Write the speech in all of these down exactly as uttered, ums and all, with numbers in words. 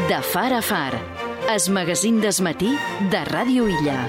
De far a far, es magazín desmatí de Ràdio Illa.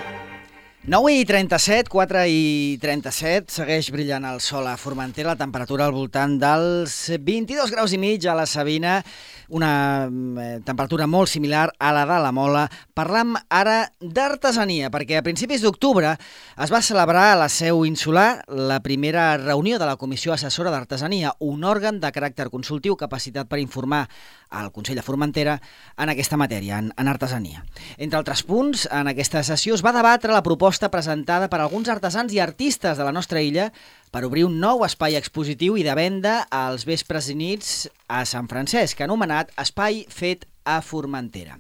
nou i trenta-set, quatre i trenta-set, segueix brillant el sol a Formentera, la temperatura al voltant dels vint-i-dos graus i mig a la Sabina, una eh, temperatura molt similar a la de la Mola. Parlam ara d'artesania, perquè a principis d'octubre es va celebrar a la Seu Insular la primera reunió de la Comissió Assessora d'Artesania, un òrgan de caràcter consultiu capacitat per informar al Consell de Formentera en aquesta matèria, en, en artesania. Entre altres punts, en aquesta sessió es va debatre la proposta presentada per alguns artesans i artistes de la nostra illa per obrir un nou espai expositiu i de venda als vespres i nits a Sant Francesc, anomenat Espai Fet a Formentera.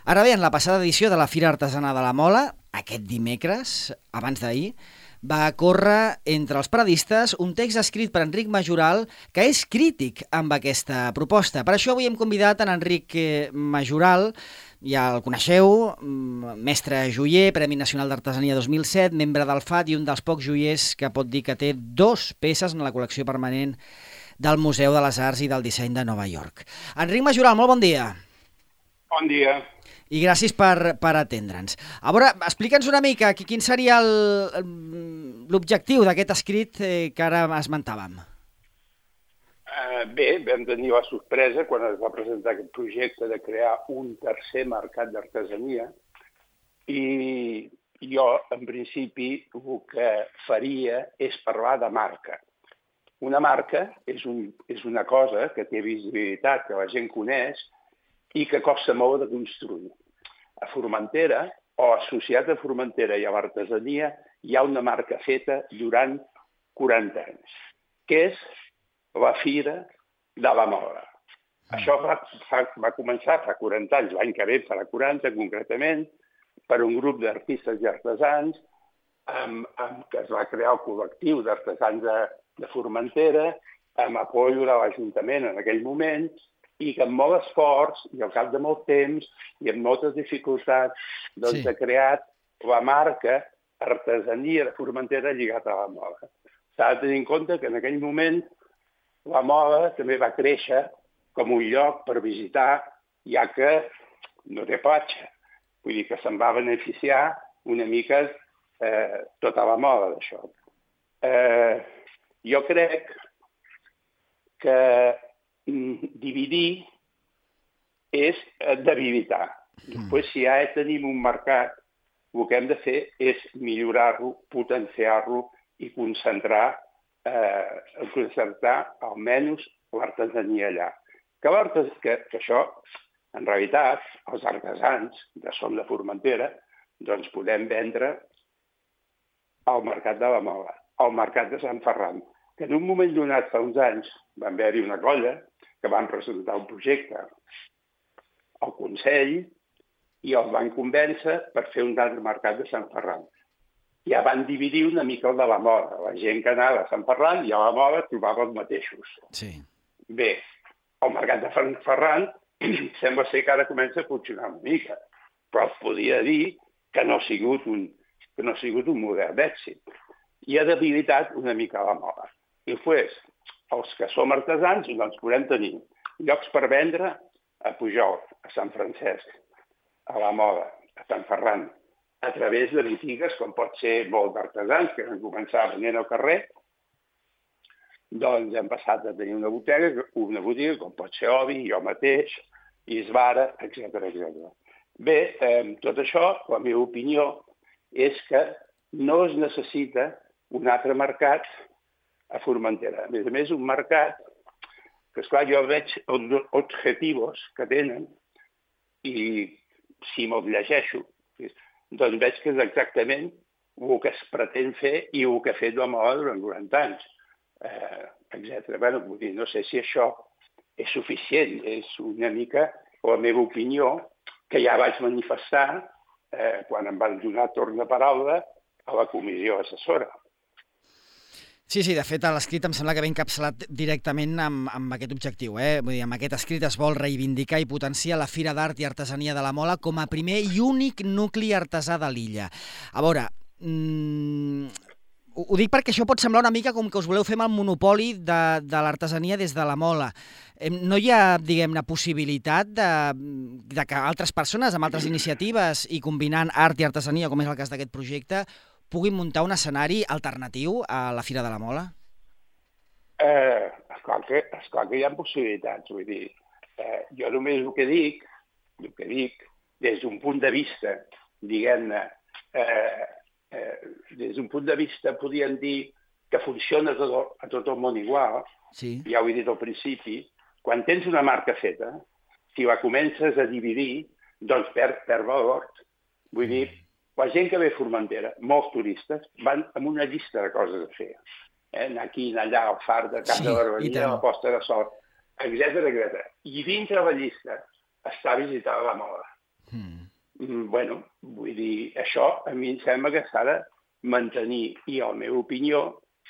Ara bé, en la passada edició de la Fira Artesana de la Mola, aquest dimecres, abans d'ahir, va córrer entre els paradistes un text escrit per Enric Majoral que és crític amb aquesta proposta. Per això avui hem convidat en Enric Majoral, ja el coneixeu, mestre joier, Premi Nacional d'Artesania dos mil set, membre del F A T i un dels pocs joiers que pot dir que té dos peces en la col·lecció permanent del Museu de les Arts i del Disseny de Nova York. Enric Majoral, molt bon dia. Bon dia. I gràcies per, per atendre'ns. A veure, explica'ns una mica quin seria l'objectiu d'aquest escrit eh, que ara esmentàvem. Uh, bé, vam tenir la sorpresa quan es va presentar aquest projecte de crear un tercer mercat d'artesania i jo, en principi, el que faria és parlar de marca. Una marca és, un, és una cosa que té visibilitat, que la gent coneix i que costa molt de construir. A Formentera, o associat a Formentera i a l'artesania, hi ha una marca feta durant quaranta anys, que és la Fira de la Mola. Mm. Això va, fa, va començar fa quaranta anys, l'any que ve farà quaranta concretament, per un grup d'artistes i artesans, amb, amb, que es va crear el col·lectiu d'artesans de, de Formentera, amb apoyo de l'Ajuntament en aquell moment, i que amb molt esforç i al cap de molt temps i amb moltes dificultats doncs, sí. ha creat la marca artesania de Formentera lligada a la Mola. S'ha de tenir en compte que en aquell moment la Mola també va créixer com un lloc per visitar, ja que no té platja. Vull dir que se'n va beneficiar una mica eh, tota la Mola d'això. Eh, jo crec que dividir és debilitar. Després, si ja tenim un mercat, el que hem de fer és millorar-lo, potenciar-lo i concentrar, eh, concentrar almenys l'artesania allà. Que, que, que això, en realitat, els artesans de Som de Formentera, doncs podem vendre al mercat de la Mola, al mercat de Sant Ferran, que en un moment donat, fa uns anys, van haver-hi una colla que van presentar un projecte al Consell i els van convèncer per fer un altre mercat de Sant Ferran. Ja van dividir una mica el de la Mola. La gent que anava a Sant Ferran i a la Mola trobava els mateixos. Sí. Bé, el mercat de Sant Ferran sembla ser que ara comença a funcionar una mica, però es podria dir que no ha sigut un, que no ha sigut un model d'èxit. I ha debilitat una mica la Mola. I després, els que som artesans, doncs podem tenir llocs per vendre a Pujol, a Sant Francesc, a la Mola, a Sant Ferran, a través de botigues, com pot ser molt d'artesans, que han començat venent al carrer, doncs hem passat a tenir una botiga, una botiga com pot ser Obi, jo mateix, Isvara, etcètera etcètera. Bé, eh, tot això, la meva opinió, és que no es necessita un altre mercat a Formentera. A més a més, un mercat que, esclar, jo veig els objectius que tenen i si me'ls llegeixo, doncs veig que és exactament el que es pretén fer i el que ha fet la Mola durant quaranta anys, eh, etcètera. Bé, vull dir, no sé si això és suficient, és una mica la meva opinió, que ja vaig manifestar eh, quan em van donar torn de paraula a la comissió assessora. Sí, sí, de fet, l'escrit em sembla que ve encapçalat directament amb, amb aquest objectiu. Eh? Vull dir, amb aquest escrit es vol reivindicar i potenciar la Fira d'Art i Artesania de la Mola com a primer i únic nucli artesà de l'illa. A veure, mmm, Ho, ho dic perquè això pot semblar una mica com que us voleu fer amb el monopoli de, de l'artesania des de la mola. No hi ha, diguem-ne, possibilitat de, de que altres persones amb altres iniciatives i combinant art i artesania, com és el cas d'aquest projecte, puguin muntar un escenari alternatiu a la Fira de la Mola? Eh, esclar, que, esclar que hi ha possibilitats, vull dir, eh, jo només el que dic, el que dic, des d'un punt de vista, diguem-ne, eh, eh, des d'un punt de vista, podríem dir que funciona a tot, a tot el món igual, sí. Ja ho he dit al principi, quan tens una marca feta, si la comences a dividir, doncs perd, perd valor. Vull dir, la gent que ve a Formentera, molts turistes, van amb una llista de coses a fer. Eh? Anar aquí, anar allà, al far de Cap sí, de Barberia, la posta de sol, etcètera, etcètera. I dintre la llista està visitar la Mola. Mm. Bueno, vull dir, això a mi em sembla que s'ha de mantenir. I la meva opinió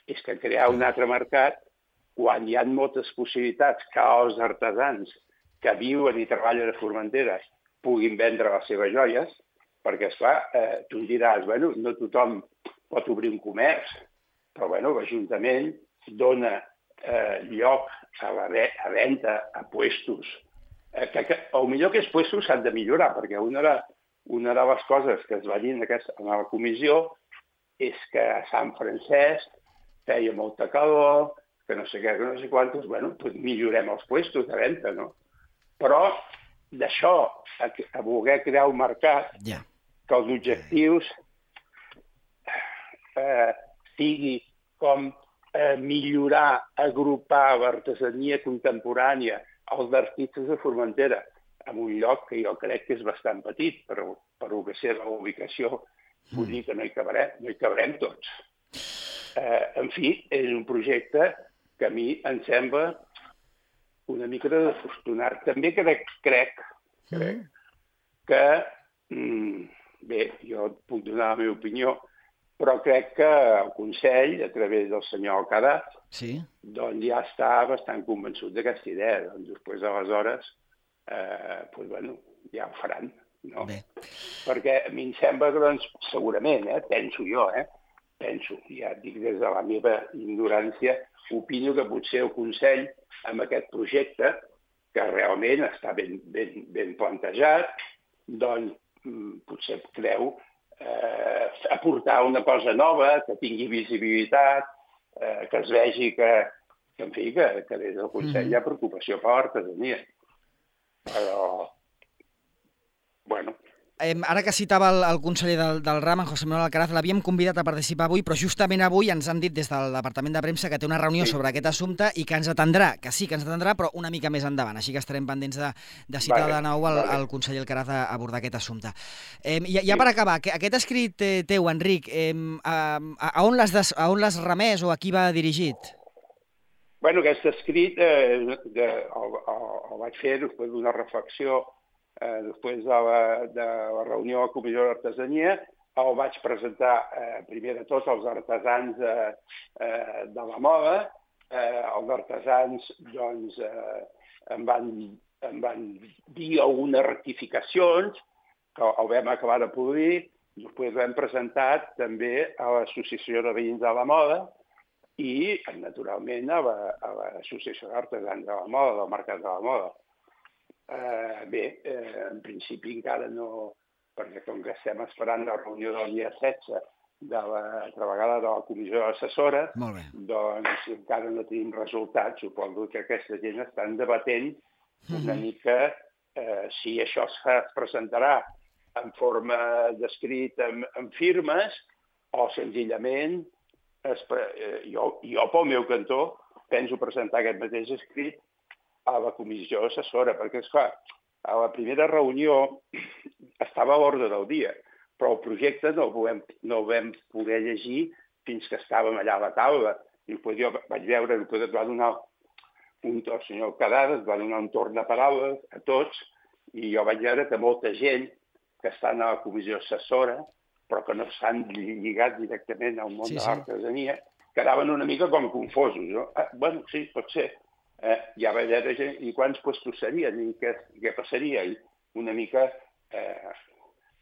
és que crear un altre mercat, quan hi ha moltes possibilitats que els artesans que viuen i treballen a Formentera puguin vendre les seves joies, perquè, esclar, eh, tu em diràs, bueno, no tothom pot obrir un comerç, però, bueno, l'Ajuntament dona eh, lloc a la ve a venda, a puestos, eh, que, que el millor que els puestos s'han de millorar, perquè una de, una de les coses que es va dir en, aquesta, en la comissió és que a Sant Francesc feia molta calor, que no sé què, que no sé quantos, bueno, doncs millorem els puestos de venda, no? Però d'això a, a voler crear un mercat, yeah. que els objectius eh, sigui com eh, millorar, agrupar l'artesania contemporània, els artistes de Formentera, en un lloc que jo crec que és bastant petit, però per lo que sé la ubicació, vull dir que no hi cabrem, no hi cabrem tots. Eh, en fi, és un projecte que a mi em sembla una mica de desafortunat. També crec, crec, crec que, mm, bé, jo puc donar la meva opinió, però crec que el Consell, a través del senyor Alcaraz, sí. doncs ja està bastant convençut d'aquesta idea. Doncs després, aleshores, eh, doncs, bueno, ja ho faran, no? Bé. Perquè a mi em sembla que, doncs, segurament, eh, penso jo, eh, penso, ja dic des de la meva ignorància, opino que potser el Consell, amb aquest projecte, que realment està ben, ben, ben plantejat, doncs potser creu eh, aportar una cosa nova, que tingui visibilitat, eh, que es vegi que, que, en fi, que, que des del Consell mm-hmm. hi ha preocupació per l'artesania. Però, bueno... Eh, ara que citava el, el conseller del, del RAM, en José Manuel Alcaraz, l'havíem convidat a participar avui, però justament avui ens han dit des del Departament de Premsa que té una reunió sí. sobre aquest assumpte i que ens atendrà, que sí que ens atendrà, però una mica més endavant. Així que estarem pendents de, de citar vale, de nou el, vale. el conseller Alcaraz a abordar aquest assumpte. Eh, ja, ja sí. per acabar, aquest escrit eh, teu, Enric, eh, a, a on l'has remès o a qui va dirigit? Bueno, aquest escrit eh, de, el, el, el vaig fer després d'una reflexió Eh, després de la, de la reunió a la Comissió d'Artesania, el vaig presentar eh, primer de tot als artesans eh, eh, de la moda. Eh, els artesans doncs, eh, em, van, em van dir algunes rectificacions que el vam acabar de polir. Després l'hem presentat també a l'Associació de Veïns de la Moda i, naturalment, a l'Associació la, d'Artesans de la Moda, del Mercat de la Moda. Uh, bé, uh, en principi encara no, perquè com que estem esperant la reunió del dia setze de la altra vegada de la comissió assessora, doncs encara no tenim resultats. Suposo que aquesta gent estan debatent una mica uh, si això es, fa, es presentarà en forma d'escrit amb, amb firmes o senzillament es, uh, jo, jo pel meu cantó penso presentar aquest mateix escrit a la comissió assessora, perquè, esclar, a la primera reunió estava a l'ordre del dia, però el projecte no el, vam, no el vam poder llegir fins que estàvem allà a la taula. I després jo vaig veure que es va donar un torn, el senyor Alcaraz es va donar un torn de paraules a tots, i jo vaig veure que molta gent que estan a la comissió assessora, però que no s'han lligat directament al món sí, de l'artesania, sí. quedaven una mica com confosos. No? Ah, bueno, sí, pot ser. Eh, ja va veure gent, i quants puestos serien, i què, què passaria, i una mica... Eh,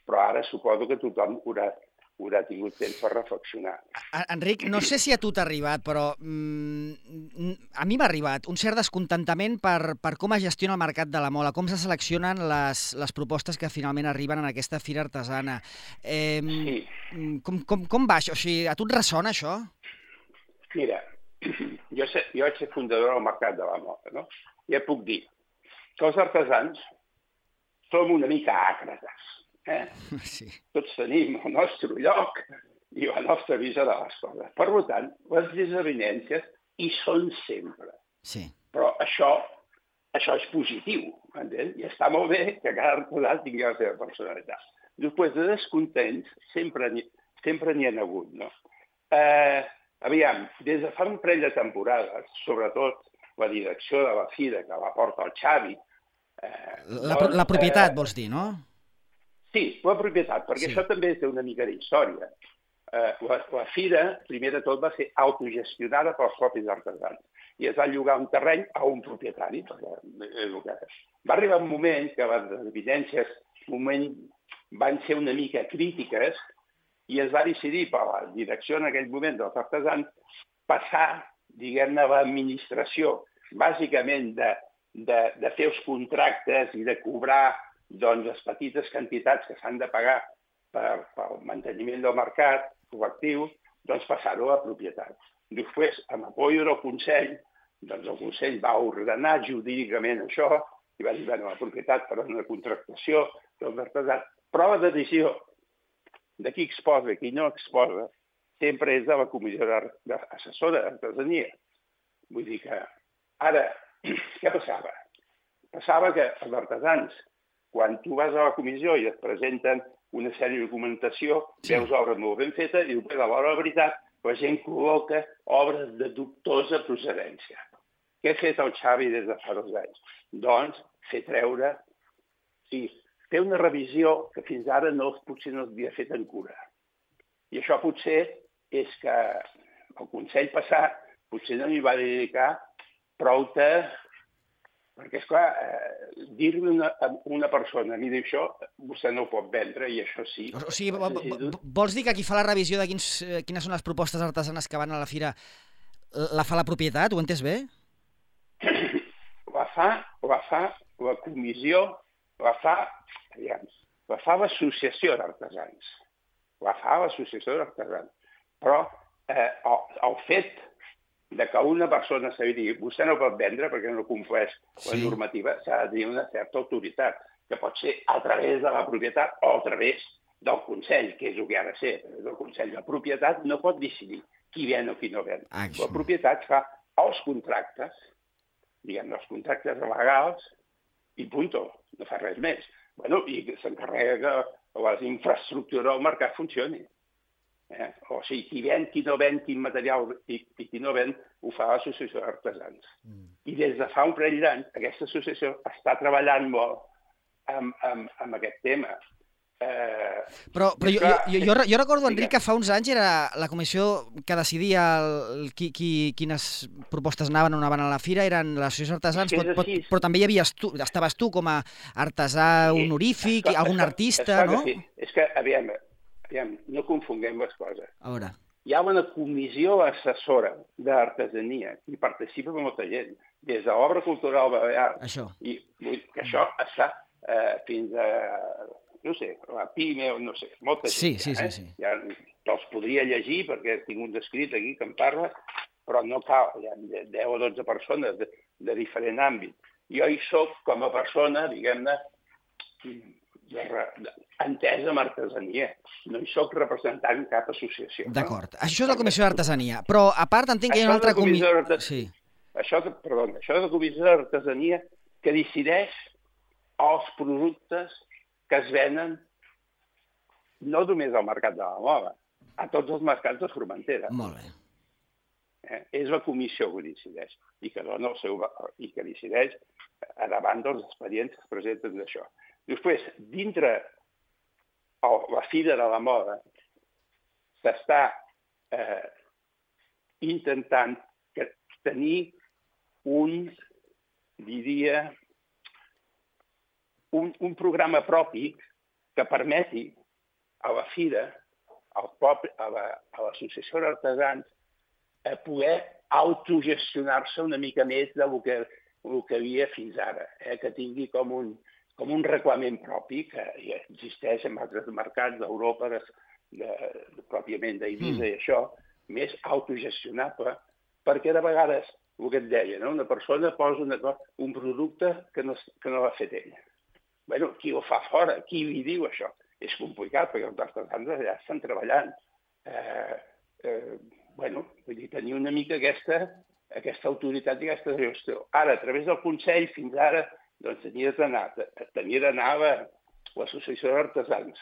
però ara suposo que tothom haurà, haurà tingut temps per reflexionar. Enric, no sé si a tu t'ha arribat, però mm, a mi m'ha arribat un cert descontentament per, per com es gestiona el mercat de la mola, com se seleccionen les, les propostes que finalment arriben en aquesta fira artesana. Eh, Sí. Com, com, com va això? O sigui, a tu et ressona això? Mira, jo, sé, jo vaig ser fundador del mercat de la moda, no? I et puc dir que els artesans som una mica àcrates. Eh? Sí. Tots tenim el nostre lloc i la nostra visió de les coses. Per tant, les desavinences hi són sempre. Sí. Però això, això és positiu, entens? I està molt bé que cada artesà tingui la seva personalitat. Després de descontents sempre n'hi sempre n'hi ha hagut, no? Eh, aviam, des de fa un parell de temporades, sobretot la direcció de la fira que la porta el Xavi... Eh, la, doncs, la propietat, eh, vols dir, no? Sí, la propietat, perquè sí. Això també té una mica d'història. Eh, la, la fira, primer de tot, va ser autogestionada pels propis artesans i es va llogar un terreny a un propietari. Perquè, eh, va arribar un moment que les evidències moment, van ser una mica crítiques i es va decidir per la direcció en aquell moment dels artesans passar, diguem-ne, a l'administració, bàsicament de, de, de fer els contractes i de cobrar doncs, les petites quantitats que s'han de pagar per, pel manteniment del mercat col·lectiu, doncs passar-ho a la propietat. Després, amb apoyo del Consell, doncs el Consell va ordenar jurídicament això i va dir, bueno, la propietat per una contractació dels artesans. Però la decisió de qui exposa i qui no exposa sempre és de la comissió assessora d'artesania. Vull dir que ara, què passava? Passava que els artesans, quan tu vas a la comissió i et presenten una sèrie de documentació, sí. Veus obres molt ben fetes i després, a l'hora de la veritat, la gent col·loca obres de dubtosa procedència. Què ha fet el Xavi des de fa dos anys? Doncs fer treure, sí, fer una revisió que fins ara no, potser no havia fet en cura. I això potser és que el Consell passat potser no hi va dedicar prou de... Perquè, esclar, eh, dir-li una, a una persona, mira, això vostè no ho pot vendre i això sí. O sigui, vols dir que qui fa la revisió de quins, quines són les propostes artesanes que van a la fira la fa la propietat? Ho he entès bé? La fa, la fa la comissió, la fa, aviam, la fa l'associació d'artesans. La fa l'associació d'artesans. Però eh, el, el fet de que una persona s'ha de dir vostè no pot vendre perquè no compleix la sí. normativa, s'ha de dir una certa autoritat, que pot ser a través de la propietat o a través del Consell, que és el que ha de ser. El Consell de propietat no pot decidir qui ven o qui no ven. Ah, la propietat fa els contractes, diguem, els contractes legals, i punto, no fa res més. Bueno, i s'encarrega que les infraestructures del mercat funcionin. Eh? O sigui, qui ven, qui no ven, quin material i, i qui no ven, ho fa l'associació d'artesans. Mm. I des de fa un parell d'anys, aquesta associació està treballant molt amb, amb, amb aquest tema. Eh, però però jo, jo, jo, jo recordo, Enric, que fa uns anys era la comissió que decidia el, qui, qui, quines propostes anaven o no anaven a la fira, eren l'associació d'artesans, però, però, però també hi havies tu, estaves tu com a artesà honorífic, sí, algun artista, no? Sí. És que, aviam, aviam, no confonguem les coses. A veure. Hi ha una comissió assessora d'artesania i participa molta gent, des de l'obra cultural balear. Això. I que això està eh, fins a, no sé, la PIME, no sé, molta gent. Sí, sí, ja, eh? sí, sí. Ja te'ls podria llegir perquè tinc un escrit aquí que em parla, però no cal, hi ha deu o dotze persones de, de diferent àmbit. Jo hi soc com a persona, diguem-ne, entesa amb artesania. No hi soc representant cap associació. D'acord. No? Això és la Comissió d'Artesania. Però, a part, entenc que hi ha una altra comissió... Sí. Això, perdó, això és la Comissió d'Artesania que decideix els productes que es venen no només al mercat de la moda, a tots els mercats de Formentera. Molt bé. Eh? És la comissió que decideix i que dona el seu i que decideix davant dels expedients que es presenten d'això. Després, dintre la Fira de la Moda s'està eh, intentant tenir un, diria, un, un programa propi que permeti a la Fira al poble, a l'associació d'artesans a poder autogestionar-se una mica més del que, el que havia fins ara, eh? Que tingui com un, com un reglament propi que ja existeix en altres mercats d'Europa, de, de, de, pròpiament d'Eivissa mm. i això, més autogestionable, perquè de vegades, el que et deia, no? Una persona posa una, un producte que no, que no l'ha fet ella. Bueno, qui ho fa fora? Qui li diu això? És complicat, perquè els artesans allà estan treballant. Eh, eh, bueno, vull dir, tenir una mica aquesta, aquesta autoritat i aquesta gestió. Ara, a través del Consell, fins ara, doncs tenia d'anar, tenia d'anar a l'Associació d'Artesans.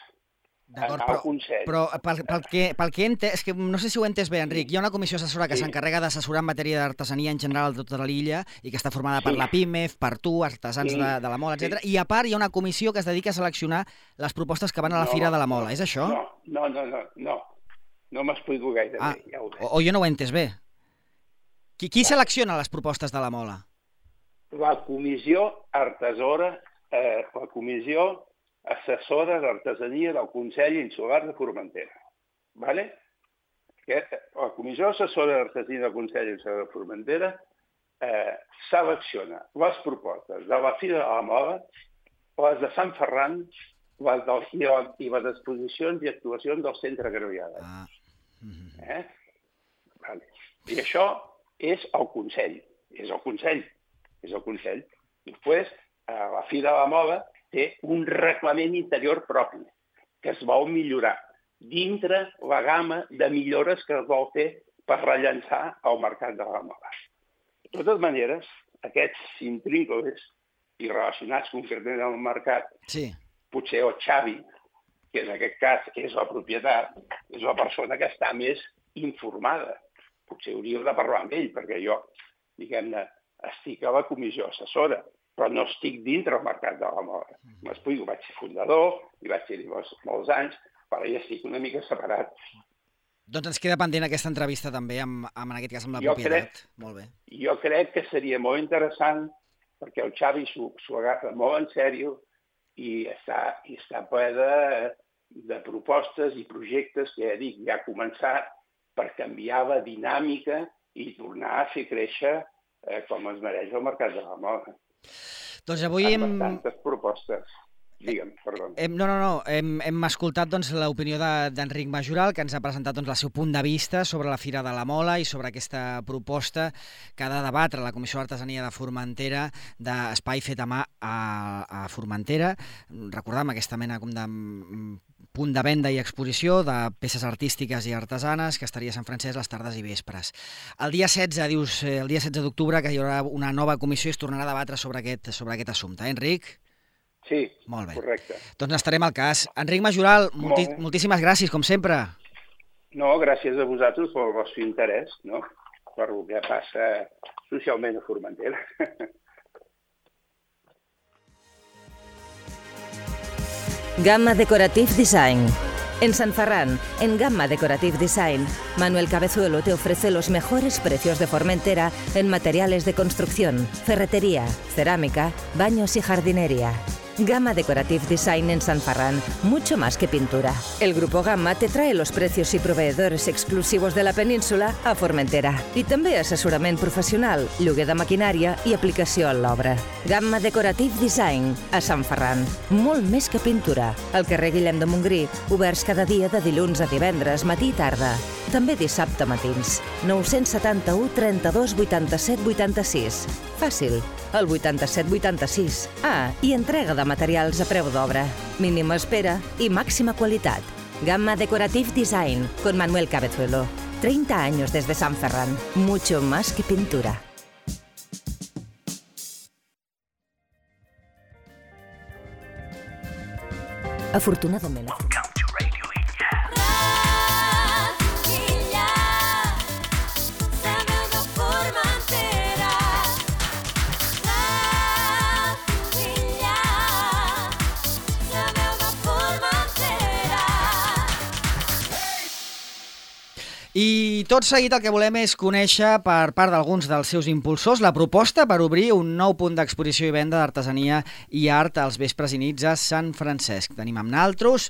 D'acord, però, però pel, pel, que, pel que he entès, és que no sé si ho he entès bé, Enric, hi ha una comissió assessora que sí. s'encarrega d'assessorar en matèria d'artesania en general de tota l'illa i que està formada sí. per la PIMEF, per tu, artesans sí. de, de la Mola, etcètera. Sí. I a part hi ha una comissió que es dedica a seleccionar les propostes que van a la no, Fira de la Mola, és això? No, no, no, no, no, no m'explico gaire ah, bé. Ja ho o, o jo no ho he entès bé. Qui, qui selecciona les propostes de la Mola? La comissió artesora, eh, la comissió assessora d'artesania del Consell Insular de Formentera. Vale? La comissió assessora d'artesania del Consell Insular de Formentera eh, selecciona les propostes de la Fira de la Mola, les de Sant Ferran, les del, i les exposicions i actuacions del Centre Graviada. Ah. Mm-hmm. eh? Vale. I això és el Consell. És el Consell. És el Consell. Després, a la Fira de la Mola té un reglament interior propi que es vol millorar dintre la gamma de millores que es vol fer per rellançar el mercat de la moda. De totes maneres, aquests intrínculos i relacionats concretament amb el mercat, sí. potser el Xavi, que en aquest cas és la propietat, és la persona que està més informada. Potser hauríeu de parlar amb ell, perquè jo, diguem-ne, estic a la comissió assessora, però no estic dintre el mercat de la moda. M'explico, vaig ser fundador, i vaig ser-hi molts, molts anys, però ja estic una mica separat. Doncs ens queda pendent aquesta entrevista també, amb, amb en aquest cas amb la jo propietat. Crec, molt bé. Jo crec que seria molt interessant, perquè el Xavi s'ho agafa molt en sèrio i està, i està ple de, de propostes i projectes que ja dic, ja ha començat per canviar la dinàmica i tornar a fer créixer eh, com es mereix el mercat de la moda. Doncs avui hem... Amb bastantes propostes. Digue'm, perdó. Hem, no, no, no. Hem, hem escoltat doncs, l'opinió d'Enric Majoral, que ens ha presentat doncs, el seu punt de vista sobre la Fira de la Mola i sobre aquesta proposta que ha de debatre la Comissió d'Artesania de Formentera d'espai fet a mà a, a Formentera. Recordam aquesta mena com de punt de venda i exposició de peces artístiques i artesanes que estaria a Sant Francesc les tardes i vespres. El dia setze, dius, el dia setze d'octubre, que hi haurà una nova comissió i es tornarà a debatre sobre aquest, sobre aquest assumpte. Eh, Enric? Sí, molt bé. Correcte. Doncs estarem al cas. Enric Majoral, molti moltíssimes gràcies, com sempre. No, gràcies a vosaltres pel vostre interès, no? Per el que passa socialment a Formentera. Gamma Decorative Design. En San Ferran, en Gamma Decorative Design, Manuel Cabezuelo te ofrece los mejores precios de Formentera en materiales de construcción, ferretería, cerámica, baños y jardinería. Gamma Decorative Design en San Ferran, mucho más que pintura. El Grupo Gamma te trae los precios y proveedores exclusivos de la península a Formentera. I també assessorament professional, lloguer de maquinària i aplicació en l'obra. Gamma Decorative Design a Sant Ferran, molt més que pintura. Al carrer Guillem de Montgrí, oberts cada dia de dilluns a divendres, matí i tarda. També dissabte matins. nou setanta-u, trenta-dos, vuitanta-set, vuitanta-sis. Fàcil, el vuitanta-set vuitanta-sis. Ah, i entrega de materials a preu d'obra. Mínima espera i màxima qualitat. Gamma Decorative Design, con Manuel Cabezuelo. treinta años desde San Ferran. Mucho más que pintura. Afortunadament... I tot seguit el que volem és conèixer per part d'alguns dels seus impulsors la proposta per obrir un nou punt d'exposició i venda d'artesania i art als vespres i nits a Sant Francesc. Tenim amb naltros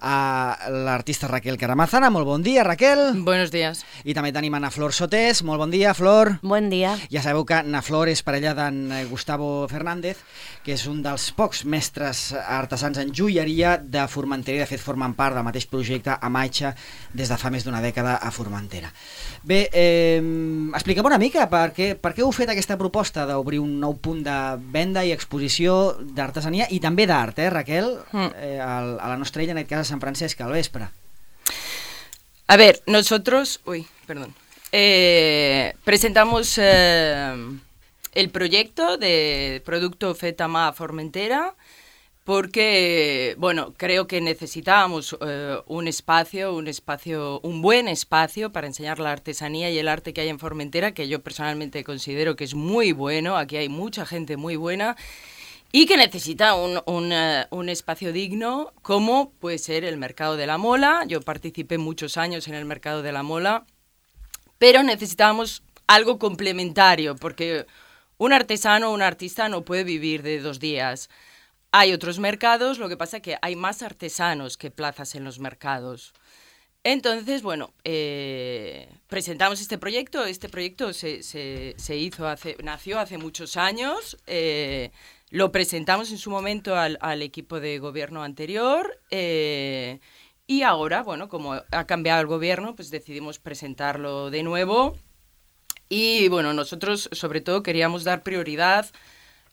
a l'artista Raquel Caramazana. Molt bon dia, Raquel. Buenos días. I també tenim a Na Flor Sotés. Molt bon dia, Flor. Bon dia. Ja sabeu que Na Flor és parella d'en Gustavo Fernández, que és un dels pocs mestres artesans en joieria de Formentera, i de fet formen part del mateix projecte Amaixa des de fa més d'una dècada a Formentera. Bé, eh, expliquem una mica per què, per què heu fet aquesta proposta d'obrir un nou punt de venda i exposició d'artesania i també d'art, eh, Raquel? Mm. Eh, a la nostra illa, en aquest cas a Sant Francesc, al vespre. A ver, nosotros, uy, perdón, eh, presentamos eh, el proyecto de Producto Fet a Mà Formentera porque, bueno, creo que necesitábamos eh, un espacio, un espacio, un buen espacio para enseñar la artesanía y el arte que hay en Formentera, que yo personalmente considero que es muy bueno. Aquí hay mucha gente muy buena y que necesita un, un, uh, un espacio digno, como puede ser el Mercado de la Mola. Yo participé muchos años en el Mercado de la Mola, pero necesitábamos algo complementario, porque un artesano o un artista no puede vivir de dos días. Hay otros mercados, lo que pasa es que hay más artesanos que plazas en los mercados. Entonces, bueno, eh, presentamos este proyecto. Este proyecto se, se, se hizo hace, nació hace muchos años. Eh, lo presentamos en su momento al, al equipo de gobierno anterior. Eh, y ahora, bueno, como ha cambiado el gobierno, pues decidimos presentarlo de nuevo. Y bueno, nosotros sobre todo queríamos dar prioridad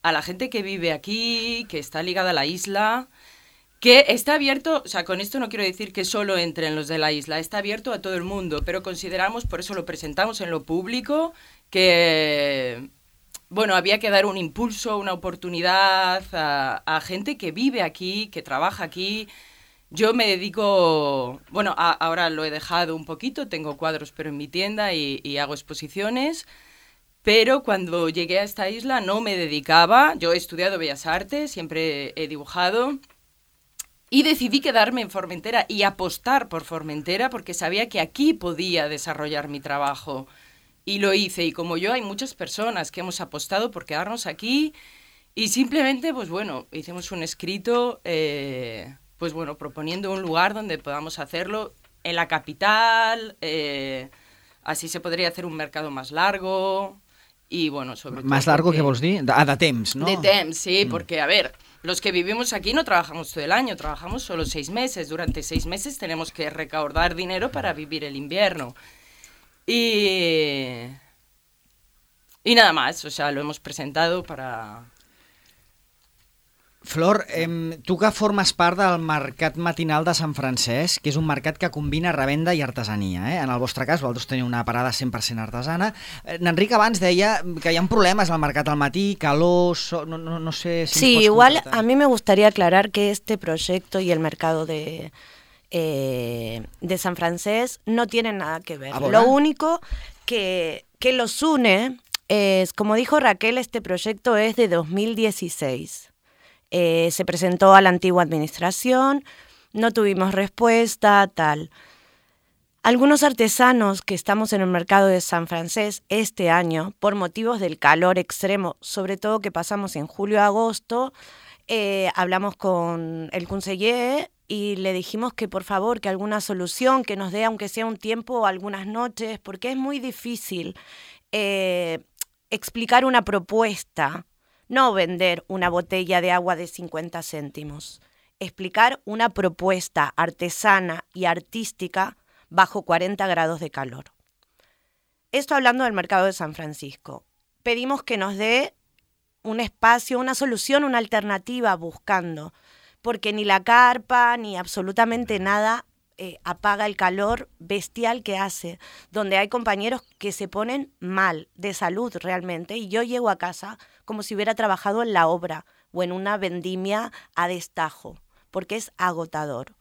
a la gente que vive aquí, que está ligada a la isla, que está abierto, o sea, con esto no quiero decir que solo entren los de la isla, está abierto a todo el mundo, pero consideramos, por eso lo presentamos en lo público, que, bueno, había que dar un impulso, una oportunidad a, a gente que vive aquí, que trabaja aquí. Yo me dedico, bueno, a, ahora lo he dejado un poquito, tengo cuadros pero en mi tienda y, y hago exposiciones. Pero cuando llegué a esta isla no me dedicaba, yo he estudiado Bellas Artes, siempre he dibujado, y decidí quedarme en Formentera y apostar por Formentera porque sabía que aquí podía desarrollar mi trabajo. Y lo hice, y como yo hay muchas personas que hemos apostado por quedarnos aquí, y simplemente, pues bueno, hicimos un escrito, eh, pues bueno, proponiendo un lugar donde podamos hacerlo en la capital, eh, así se podría hacer un mercado más largo. Y bueno, sobre todo... Más largo, ¿qué vols dir? Ah, de temps, ¿no? De temps, sí, mm. porque, a ver, los que vivimos aquí no trabajamos todo el año, trabajamos solo seis meses. Durante seis meses tenemos que recaudar dinero para vivir el invierno. Y... Y nada más, o sea, lo hemos presentado para... Flor, eh, tu que formes part del Mercat Matinal de Sant Francesc, que és un mercat que combina revenda i artesania. Eh? En el vostre cas, vosaltres teniu una parada cent per cent artesana. Eh, N'Enric abans deia que hi ha problemes al mercat al matí, calor, so, no, no, no sé si... Sí, igual a mí me gustaría aclarar que este proyecto y el mercado de, eh, de San Francesc no tienen nada que ver. Lo único que, que los une es, como dijo Raquel, este proyecto es de dos mil dieciséis. Eh, se presentó a la antigua administración, no tuvimos respuesta, tal. Algunos artesanos que estamos en el mercado de San Francesc este año, por motivos del calor extremo, sobre todo que pasamos en julio-agosto, eh, hablamos con el conseller y le dijimos que por favor, que alguna solución, que nos dé aunque sea un tiempo o algunas noches, porque es muy difícil eh, explicar una propuesta. No vender una botella de agua de cincuenta céntimos, explicar una propuesta artesana y artística bajo cuarenta grados de calor. Esto hablando del mercado de San Francisco. Pedimos que nos dé un espacio, una solución, una alternativa buscando, porque ni la carpa ni absolutamente nada eh, apaga el calor bestial que hace, donde hay compañeros que se ponen mal de salud realmente, y yo llego a casa como si hubiera trabajado en la obra o en una vendimia a destajo, porque es agotador.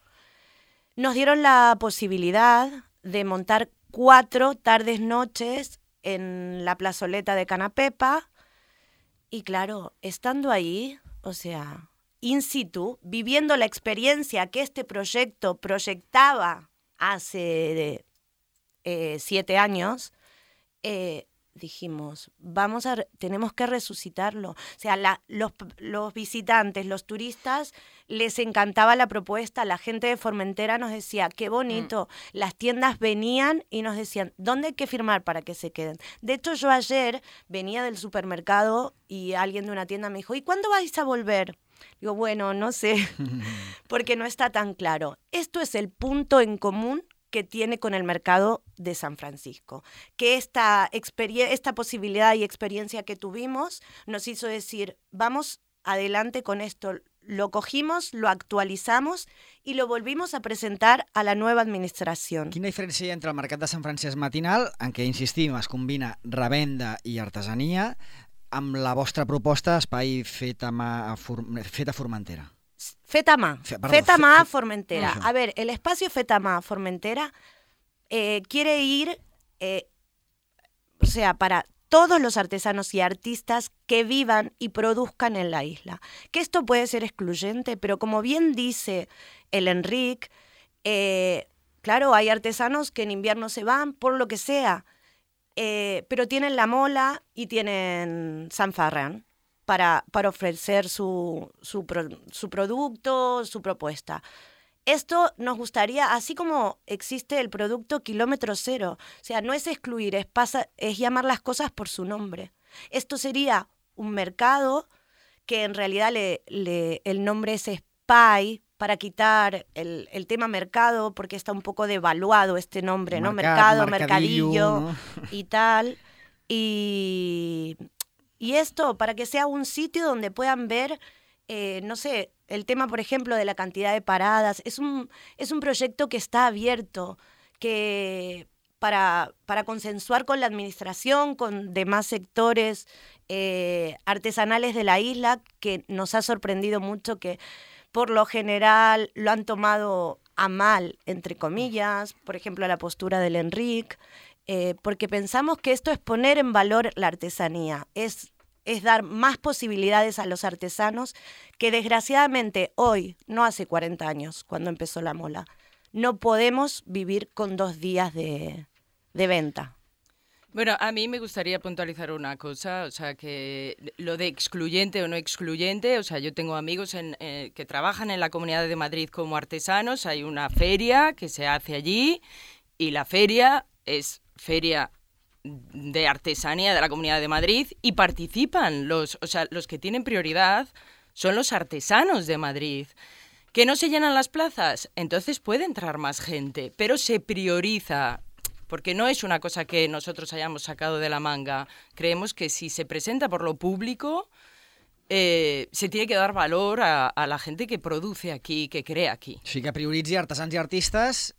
Nos dieron la posibilidad de montar cuatro tardes-noches en la plazoleta de Canapepa, y claro, estando ahí, o sea, in situ, viviendo la experiencia que este proyecto proyectaba hace eh, siete años, eh, dijimos, vamos a, tenemos que resucitarlo. O sea, la, los, los visitantes, los turistas, les encantaba la propuesta. La gente de Formentera nos decía, qué bonito. Mm. Las tiendas venían y nos decían, ¿dónde hay que firmar para que se queden? De hecho, yo ayer venía del supermercado y alguien de una tienda me dijo, ¿y cuándo vais a volver? Digo, bueno, no sé, porque no está tan claro. Esto es el punto en común que tiene con el mercado de San Francisco, que esta, esta posibilidad y experiencia que tuvimos nos hizo decir, vamos adelante con esto, lo cogimos, lo actualizamos i lo volvimos a presentar a la nueva administració. Quina diferència hi ha entre el mercat de Sant Francesc matinal, en què, insistim, es combina revenda i artesania, amb la vostra proposta espai fet a, mà, a, For, fet a Formentera? Fet a mà, Fe, perdó, fet a mà a Formentera. No, a ver, el espacio fet a mà a Formentera eh, quiere ir, eh, o sea, para todos los artesanos y artistas que vivan y produzcan en la isla. Que esto puede ser excluyente, pero como bien dice el Enric, eh, claro, hay artesanos que en invierno se van por lo que sea, eh, pero tienen La Mola y tienen San Ferran para, para ofrecer su, su, pro, su producto, su propuesta. Esto nos gustaría, así como existe el producto kilómetro cero, o sea, no es excluir, es, pasa, es llamar las cosas por su nombre. Esto sería un mercado que en realidad le, le, el nombre es Spy, para quitar el, el tema mercado, porque está un poco devaluado este nombre, Mercat, ¿no? Mercado, mercadillo, mercadillo ¿no? y tal. Y, y esto, para que sea un sitio donde puedan ver, eh, no sé, el tema, por ejemplo, de la cantidad de paradas. Es un, es un proyecto que está abierto, que para, para consensuar con la administración, con demás sectores eh, artesanales de la isla, que nos ha sorprendido mucho que por lo general lo han tomado a mal, entre comillas, por ejemplo, la postura del Enric, eh, porque pensamos que esto es poner en valor la artesanía, es es dar más posibilidades a los artesanos que desgraciadamente hoy, no hace cuarenta años, cuando empezó La Mola, no podemos vivir con dos días de, de venta. Bueno, a mí me gustaría puntualizar una cosa, o sea, que lo de excluyente o no excluyente, o sea, yo tengo amigos en, eh, que trabajan en la Comunidad de Madrid como artesanos, hay una feria que se hace allí y la feria es feria de artesanía de la Comunidad de Madrid y participan los, o sea, los que tienen prioridad son los artesanos de Madrid. ¿Que no se llenan las plazas? Entonces puede entrar más gente, pero se prioriza, porque no es una cosa que nosotros hayamos sacado de la manga. Creemos que si se presenta por lo público, eh, se tiene que dar valor a, a la gente que produce aquí, que crea aquí. O sigui que prioritzi artesans i artistes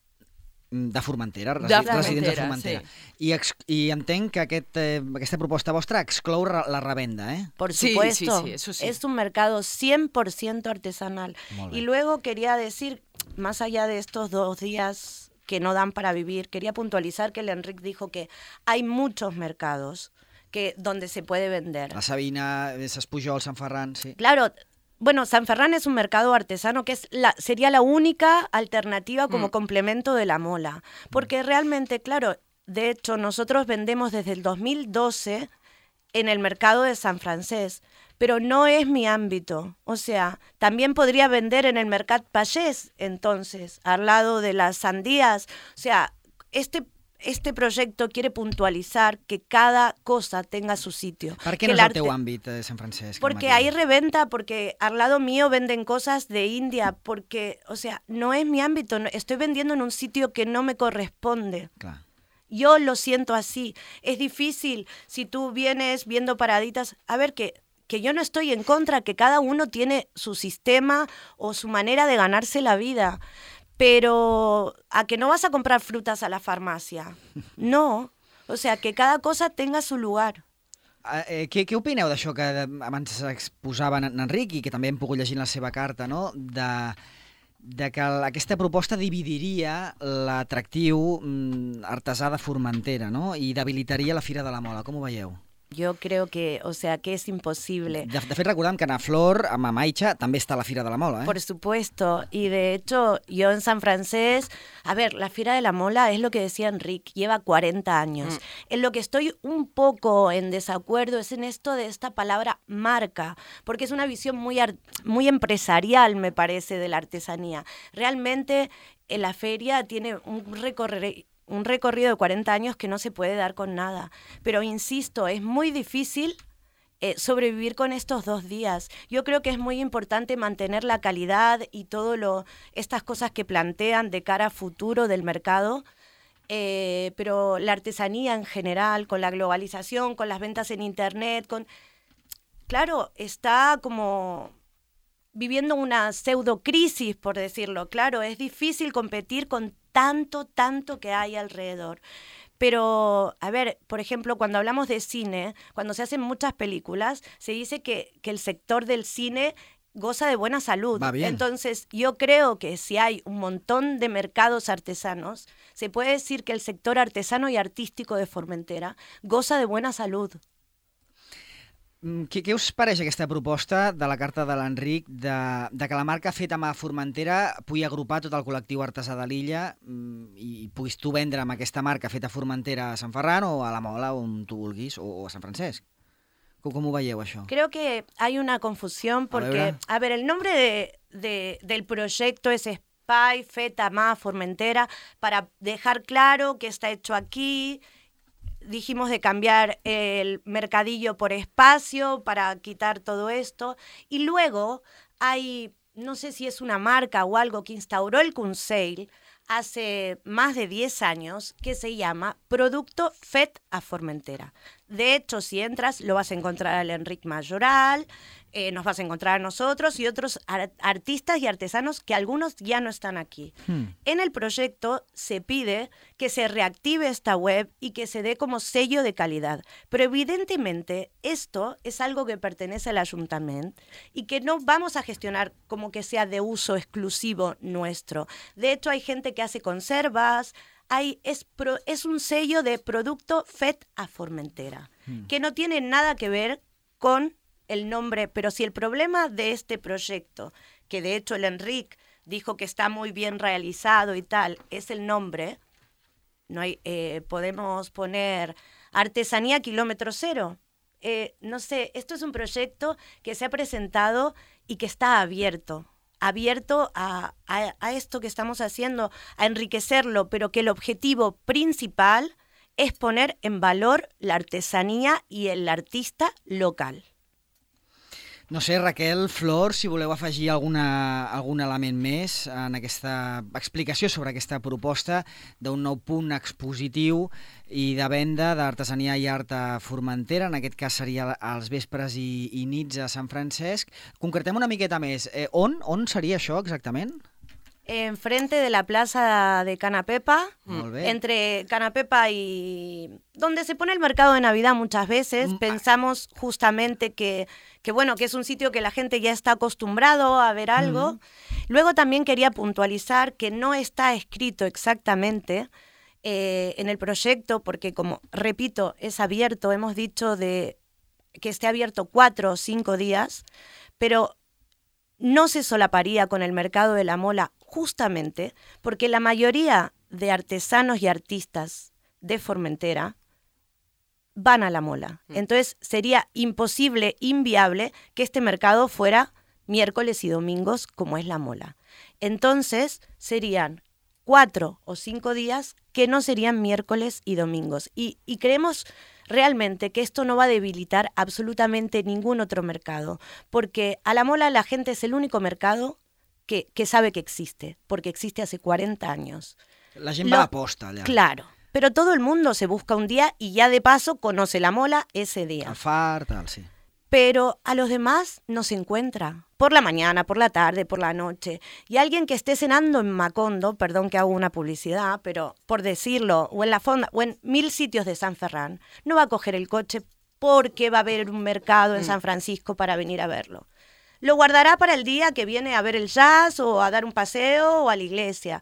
de Formentera, resi de residents de Formentera. Sí. I, ex I entenc que aquest, eh, aquesta proposta vostra exclou la revenda, ¿eh? Por supuesto, sí, sí, sí, eso sí. Es un mercado cien por ciento artesanal. Y luego quería decir, más allá de estos dos días que no dan para vivir, quería puntualizar que el Enric dijo que hay muchos mercados que, donde se puede vender. La Sabina, Ses Pujol, Sant Ferran, sí. Claro. Bueno, San Ferran es un mercado artesano que es la, sería la única alternativa como mm. complemento de La Mola. Porque realmente, claro, de hecho, nosotros vendemos desde el dos mil doce en el mercado de San Francesc, pero no es mi ámbito. O sea, también podría vender en el Mercat Pagès, entonces, al lado de las sandías. O sea, este... Este proyecto quiere puntualizar que cada cosa tenga su sitio. ¿Por qué no es el teu àmbit de Sant Francesc? Porque hay reventa, porque al lado mío venden cosas de India, porque, o sea, no es mi ámbito, estoy vendiendo en un sitio que no me corresponde. Claro. Yo lo siento así. Es difícil si tú vienes viendo paraditas, a ver que... que yo no estoy en contra, que cada uno tiene su sistema o su manera de ganarse la vida. Pero a que no vas a comprar frutas a la farmàcia. No. O sea, que cada cosa tenga su lugar. Eh, què, què opineu d'això que abans exposava en Enric i que també hem pogut llegir en la seva carta, no? de, de que aquesta proposta dividiria l'atractiu artesà de Formentera, no? I debilitaria la Fira de la Mola. Com ho veieu? Yo creo que, o sea, que es imposible. De, de fet, recordem que en Flor, a Mamaixa, també està la Fira de la Mola, ¿eh? Por supuesto. Y de hecho, yo en San Francés, a ver, la Fira de la Mola es lo que decía Enric, lleva cuarenta años. Mm. En lo que estoy un poco en desacuerdo es en esto de esta palabra marca, porque es una visión muy, muy empresarial, me parece, de la artesanía. Realmente, en la feria tiene un recorrido... un recorrido de cuarenta años que no se puede dar con nada. Pero insisto, es muy difícil eh, sobrevivir con estos dos días. Yo creo que es muy importante mantener la calidad y todo lo estas cosas que plantean de cara a futuro del mercado, eh, pero la artesanía en general, con la globalización, con las ventas en internet, con claro, está como viviendo una pseudo crisis, por decirlo. Claro, es difícil competir con tanto, tanto que hay alrededor. Pero, a ver, por ejemplo, cuando hablamos de cine, cuando se hacen muchas películas, se dice que, que el sector del cine goza de buena salud. Va bien. Entonces, yo creo que si hay un montón de mercados artesanos, se puede decir que el sector artesano y artístico de Formentera goza de buena salud. Què, què us pareix aquesta proposta de la carta de l'Enric de, de que la marca feta a mà Formentera pugui agrupar tot el col·lectiu artesà de l'illa i puguis tu vendre amb aquesta marca feta a Formentera a Sant Ferran o a la Mola, on tu vulguis, o a Sant Francesc? Com, com ho veieu, això? Creo que hay una confusión porque, a, a ver, el nombre de, de, del proyecto es Espai Feta a mà Formentera para dejar claro que está hecho aquí. Dijimos de cambiar el mercadillo por espacio para quitar todo esto. Y luego hay, no sé si es una marca o algo que instauró el Consell hace más de diez años, que se llama Producto Fet a Formentera. De hecho, si entras, lo vas a encontrar al Enric Majoral, eh, nos vas a encontrar a nosotros y otros ar- artistas y artesanos que algunos ya no están aquí. Hmm. En el proyecto se pide que se reactive esta web y que se dé como sello de calidad. Pero evidentemente esto es algo que pertenece al ayuntamiento y que no vamos a gestionar como que sea de uso exclusivo nuestro. De hecho, hay gente que hace conservas. Hay, es, pro, es un sello de Producto Fet a Formentera, hmm. que no tiene nada que ver con el nombre, pero si el problema de este proyecto, que de hecho el Enric dijo que está muy bien realizado y tal, es el nombre, no hay, eh, podemos poner Artesanía Kilómetro Cero. Eh, no sé, esto es un proyecto que se ha presentado y que está abierto. abierto a, a, a esto que estamos haciendo, a enriquecerlo, pero que el objetivo principal es poner en valor la artesanía y el artista local. No sé, Raquel, Flor, si voleu afegir alguna, algun element més en aquesta explicació sobre aquesta proposta d'un nou punt expositiu i de venda d'artesania i art a Formentera, en aquest cas seria als vespres i, i nits a Sant Francesc. Concretem una miqueta més. Eh, on, on seria això exactament? Enfrente de la plaza de Canapepa, Molt bé. Entre Canapepa y donde se pone el mercado de Navidad muchas veces, mm. pensamos justamente que, que bueno, que es un sitio que la gente ya está acostumbrado a ver algo. Mm. Luego también quería puntualizar que no está escrito exactamente eh, en el proyecto, porque como, repito, es abierto, hemos dicho de que esté abierto cuatro o cinco días, pero no se solaparía con el mercado de la Mola justamente porque la mayoría de artesanos y artistas de Formentera van a la Mola. Entonces sería imposible, inviable que este mercado fuera miércoles y domingos como es la Mola. Entonces serían cuatro o cinco días que no serían miércoles y domingos. Y, y creemos realmente que esto no va a debilitar absolutamente ningún otro mercado, porque a la Mola la gente es el único mercado que, que sabe que existe, porque existe hace cuarenta años. La gent va a posta allà. Claro, pero todo el mundo se busca un día y ya de paso conoce la Mola ese día. El far, tal, sí. Pero a los demás no se encuentra. Por la mañana, por la tarde, por la noche. Y alguien que esté cenando en Macondo, perdón que hago una publicidad, pero por decirlo, o en la Fonda, o en mil sitios de San Ferran, no va a coger el coche porque va a haber un mercado en San Francisco para venir a verlo. Lo guardará para el día que viene a ver el jazz o a dar un paseo o a la iglesia.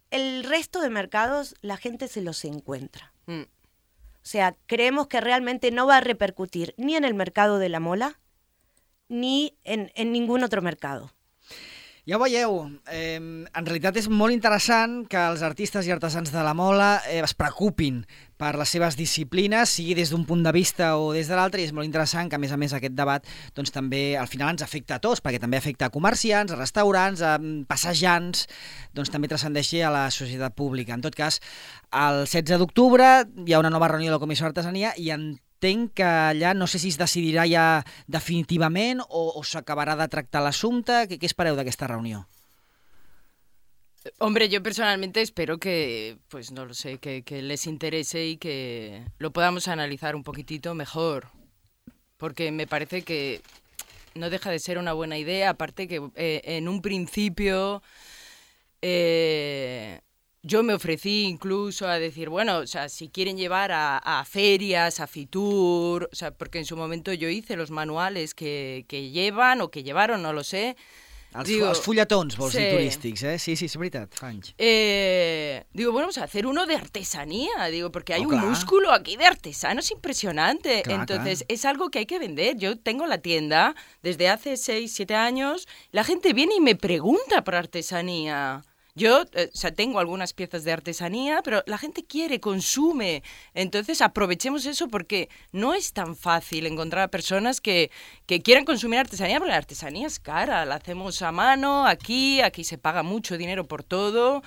El resto de mercados la gente se los encuentra. Mm. O sea, creemos que realmente no va a repercutir ni en el mercado de la mola ni en, en ningún otro mercado. Ja ho veieu, eh, en realitat és molt interessant que els artistes i artesans de la mola eh, es preocupin per les seves disciplines, sigui des d'un punt de vista o des de l'altre, i és molt interessant que, a més a més, aquest debat doncs, també al final ens afecta a tots, perquè també afecta a comerciants, a restaurants, a passejants, doncs també transcendeixi a la societat pública. En tot cas, el setze d'octubre hi ha una nova reunió de la Comissió d'Artesania i en entenc que allà no sé si es decidirà ja definitivament o, o s'acabarà de tractar l'assumpte. ¿Qué, qué espereu d'aquesta reunió? Hombre, yo personalmente espero que, pues no lo sé, que, que les interese y que lo podamos analizar un poquitito mejor, porque me parece que no deja de ser una buena idea, aparte que eh, en un principio... Eh, Yo me ofrecí incluso a decir, bueno, o sea, si quieren llevar a, a ferias, a Fitur, o sea, porque en su momento yo hice los manuales que, que llevan o que llevaron, no lo sé. Els, digo, els fulletons, vols sí. dir, turístics, eh? Sí, sí, és veritat, fa anys. Eh, digo, bueno, vamos a hacer uno de artesanía, digo, porque hay oh, un clar. músculo aquí de artesanos impresionante. Clar, Entonces, clar. es algo que hay que vender. Yo tengo la tienda desde hace seis, siete años, la gente viene y me pregunta por artesanía. Yo, eh, o sea, tengo algunas piezas de artesanía, pero la gente quiere, consume. Entonces, aprovechemos eso porque no es tan fácil encontrar a personas que, que quieran consumir artesanía, porque la artesanía es cara. La hacemos a mano, aquí, aquí se paga mucho dinero por todo.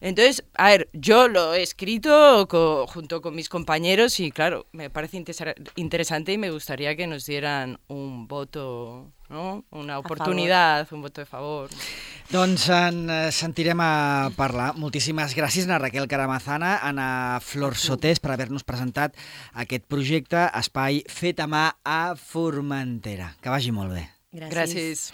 Entonces, a ver, yo lo he escrito co- junto con mis compañeros y, claro, me parece inter- interesante y me gustaría que nos dieran un voto, ¿no? Una oportunidad, un voto de favor. Doncs en sentirem a parlar. Moltíssimes gràcies a Raquel Caramazana, a Ana Flor Sotés, per haver-nos presentat aquest projecte Espai Fet a Mà a Formentera. Que vagi molt bé. Gràcies. Gràcies.